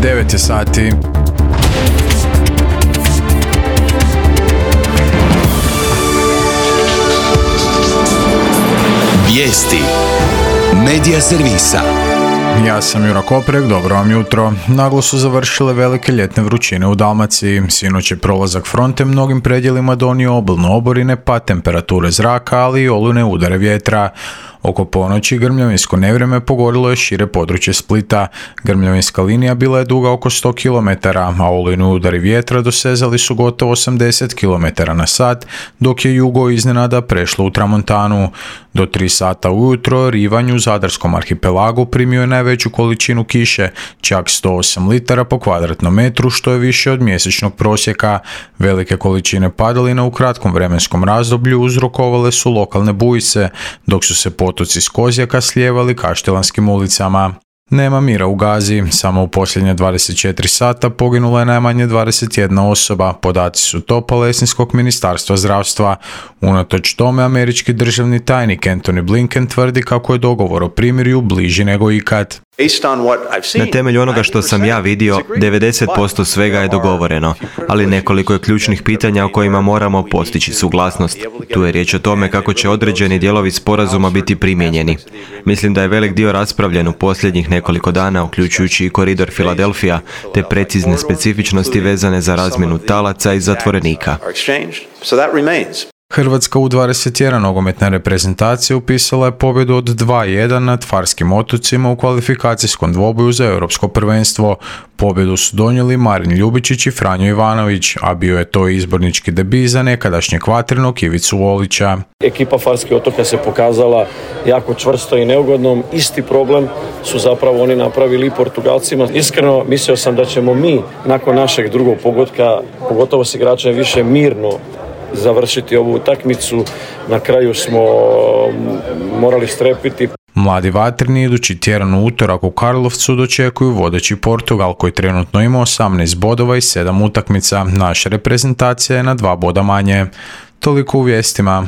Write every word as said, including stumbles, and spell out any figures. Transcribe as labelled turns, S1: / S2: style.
S1: devet je sati.
S2: Vijesti Medija servisa.
S1: Ja sam Jura Koprek, dobro vam jutro. Naglo su završile velike ljetne vrućine u Dalmaciji. Sinoć je prolazak fronte mnogim predjelima donio obilno oborine, pa temperature zraka, ali i olujne udare vjetra. Oko ponoći grmljavinsko nevrijeme pogodilo je šire područje Splita. Grmljavinska linija bila je duga oko sto kilometara, a olujni udari vjetra dosezali su gotovo osamdeset kilometara na sat, dok je jugo iznenada prešlo u tramontanu. Do tri sata ujutro Rivanj u Zadarskom arhipelagu primio je najveću količinu kiše, čak sto osam litara po kvadratnom metru, što je više od mjesečnog prosjeka. Velike količine padalina u kratkom vremenskom razdoblju uzrokovale su lokalne bujice, dok su se potoci s Kozjaka slijevali kaštelanskim ulicama. Nema mira u Gazi, samo u posljednje dvadeset četiri sata poginula je najmanje dvadeset jedna osoba, podaci su to Palestinskog ministarstva zdravstva. Unatoč tome, američki državni tajnik Antony Blinken tvrdi kako je dogovor o primirju bliži nego ikad.
S3: Na temelju onoga što sam ja vidio, devedeset posto svega je dogovoreno, ali nekoliko je ključnih pitanja o kojima moramo postići suglasnost. Tu je riječ o tome kako će određeni dijelovi sporazuma biti primijenjeni. Mislim da je velik dio raspravljen u posljednjih nekoliko dana, uključujući i koridor Filadelfija, te precizne specifičnosti vezane za razmjenu talaca i zatvorenika.
S1: Hrvatska U dvadeset jedan nogometna reprezentacija upisala je pobjedu od dva jedan nad Farskim otocima u kvalifikacijskom dvoboju za europsko prvenstvo. Pobjedu su donijeli Marin Ljubičić i Franjo Ivanović, a bio je to izbornički debi za nekadašnjeg vatrenog Ivicu Olića.
S4: Ekipa Farskih otoka se pokazala jako čvrsto i neugodnom. Isti problem su zapravo oni napravili i Portugalcima. Iskreno mislio sam da ćemo mi nakon našeg drugog pogotka, pogotovo s igračem, više mirno završiti ovu utakmicu. Na kraju smo morali strepiti.
S1: Mladi vatreni idući tjedan u utorak u Karlovcu dočekuju vodeći Portugal, koji trenutno ima osamnaest bodova i sedam utakmica. Naša reprezentacija je na dva boda manje. Toliko u vijestima.